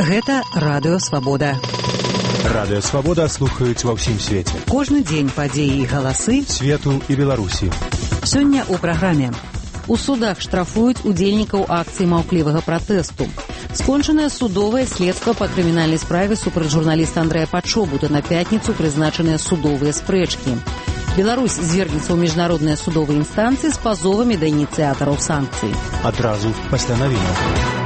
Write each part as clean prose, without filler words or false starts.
Гэта Радыё Свабода. Радыё Свабода слухаюць ва ўсім свеце. Кожны дзень падзеі і галасы свету і Беларусі. Сёння ў праграме. У судах штрафуюць удзельнікаў акцыі маўклівага пратэсту. Скончанае судовае следства па крымінальнай справе супраць журналіста Андрэя Пачобута. На пятніцу прызначаныя судовыя спрэчкі. Беларусь звергнецца ў міжнародныя судовыя інстанцыі з пазовамі да ініцыятараў санкцый. Адразу пасля навінаў.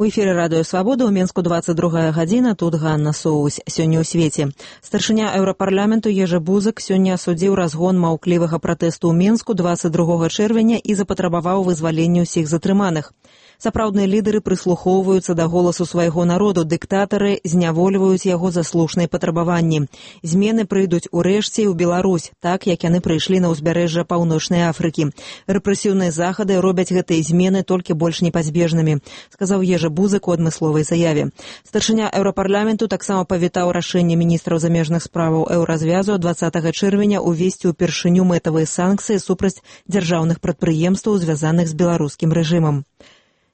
У эфіры Радыё Свабода, ў Менску 22 гадзіна, тут Ганна Соусь. Сёння ў свеце. Старшыня Еўрапарламенту Ежы Бузак сёння асудзіў разгон маўклівага пратэсту ў Менску 22 чэрвеня і запатрабаваў вызвалення ўсіх затрыманых. Сапраўдныя лідары прыслухоўваюцца да голасу свайго народу, дыктатары знявольваюць яго за слушныя патрабаванні. Змены прыйдуць урэшце і ў Беларусь, так як яны прыйшлі на ўзбярэжжа Паўночнай Афрыкі. Рэпрэсіўныя захады робяць гэтыя змены толькі больш непазбежнымі, сказаў Ежы Бузак у адмысловай заяве. Старшыня Еўрапарламенту таксама павітаў рашэнне міністраў замежных справаў Еўразвязу 20 чэрвеня увесці ўпершыню мэтавыя санкцыі супраць дзяржаўных прадпрыемстваў, звязаных з беларускім рэжымам.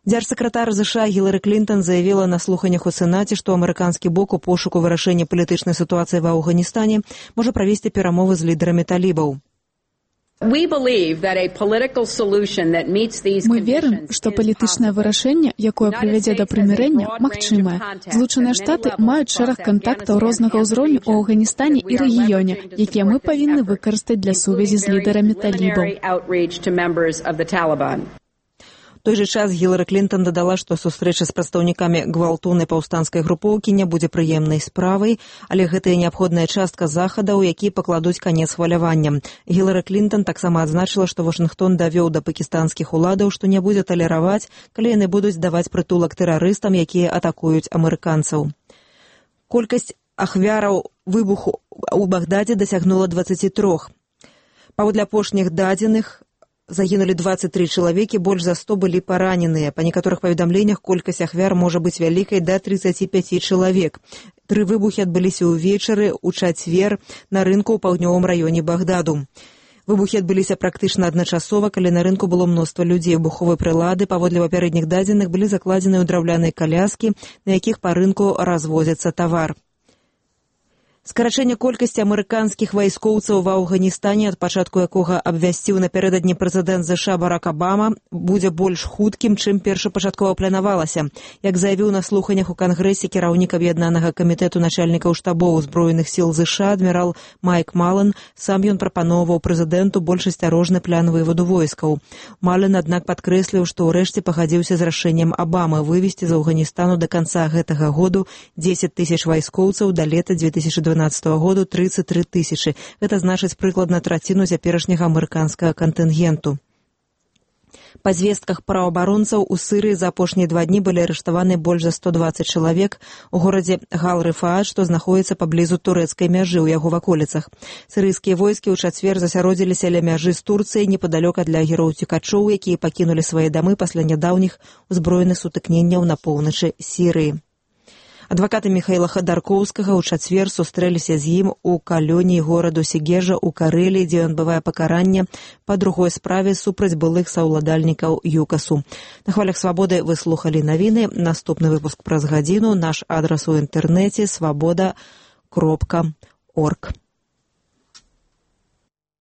Дзяржсакратар ЗША Гілары Клінтон заявіла на слуханнях у Сенаце, што амерыканскі бок у пошуку вырашэння палітычнай сітуацыі ва Афганістане можа правесці перамовы з лідарамі талібаў. Мы верым, што палітычнае вырашэнне, якое прывядзе да прымірэння, магчымае. Злучаныя Штаты маюць шэраг кантактаў рознага ўзроўню ў Афганістане і рэгіёне, якія мы павінны выкарыстаць для сувязі з лідарамі талібаў. У той жа час Гілары Клінтон дадала, што сустрэча з прадстаўнікамі гвалтоўнай паўстанцкай групоўкі не будзе прыемнай справай, але гэта неабходная частка захадаў, якія пакладуць канец хваляванням. Гілары Клінтон таксама адзначыла, што Вашынгтон давёў да пакістанскіх уладаў, што не будзе талераваць, калі яны будуць даваць прытулак тэрарыстам, якія атакуюць амерыканцаў. Колькасць ахвяраў выбуху ў Багдадзе дасягнула 23. Паводле апошніх дадзеных, загінулі 23 чалавекі, больш за 100 былі параненыя. Па некаторых паведамленнях колькасць ахвяр можа быць вялікай да 35 чалавек. 3 выбухі адбыліся ўвечары ў чацвер на рынку ў паўднёвым раёне Багдаду. Выбухі адбыліся практычна адначасова, калі на рынку было мноства людзей. Выбуховыя прылады, паводле папярэдніх дадзеных, былі закладзены ў драўляныя каляскі, на якіх па рынку развозяцца тавар. Скарачэнне колькасці амерыканскіх вайскоўцаў ва Афганістане, ад пачатку якога абвясціў напярэдадні прэзідэнт ЗША Барак Абама, будзе больш хуткім, чым першапачаткова планавалася. Як заявіў на слуханнях у Кангрэсе кіраўнік аб'яднанага камітэту начальнікаў штабоў узброеных сіл ЗША адмірал Майк Малан, сам ён прапаноўваў прэзідэнту больш асцярожны план вываду войскаў. Малан, аднак, падкрэсліў, што ўрэшце пагадзіўся з рашэннем Абамы вывесці з Афганістану да канца гэтага году 10 000 вайскоўцаў, да лета 2012 году 33 000. Гэта значыць прыкладна траціну цяперашняга амерыканскага кантынгенту. Па звестках праваабаронцаў, у Сырыі за апошнія 2 дні былі арыштаваны больш за 120 чалавек у горадзе Гал-Рыфаат, што знаходзіцца паблізу турэцкай мяжы ў яго ваколіцах. Сырыйскія войскі ў чацвер засяродзіліся ля мяжы з Турцыяй непадалёк ад лагераў уцекачоў, якія пакінулі свае дамы пасля нядаўніх узброеных сутыкненняў на поўначы Сірыі. Адвакаты Міхаіла Хадаркоўскага ў чацвер сустрэліся з ім у калоніі гораду Сегежа ў Карэліі, дзе ён адбывае пакаранне па другой справе супраць былых саўладальнікаў ЮКАСу. На хвалях Свабоды вы слухалі навіны. Наступны выпуск праз гадзіну. Наш адрас у інтэрнэце свабода.орг.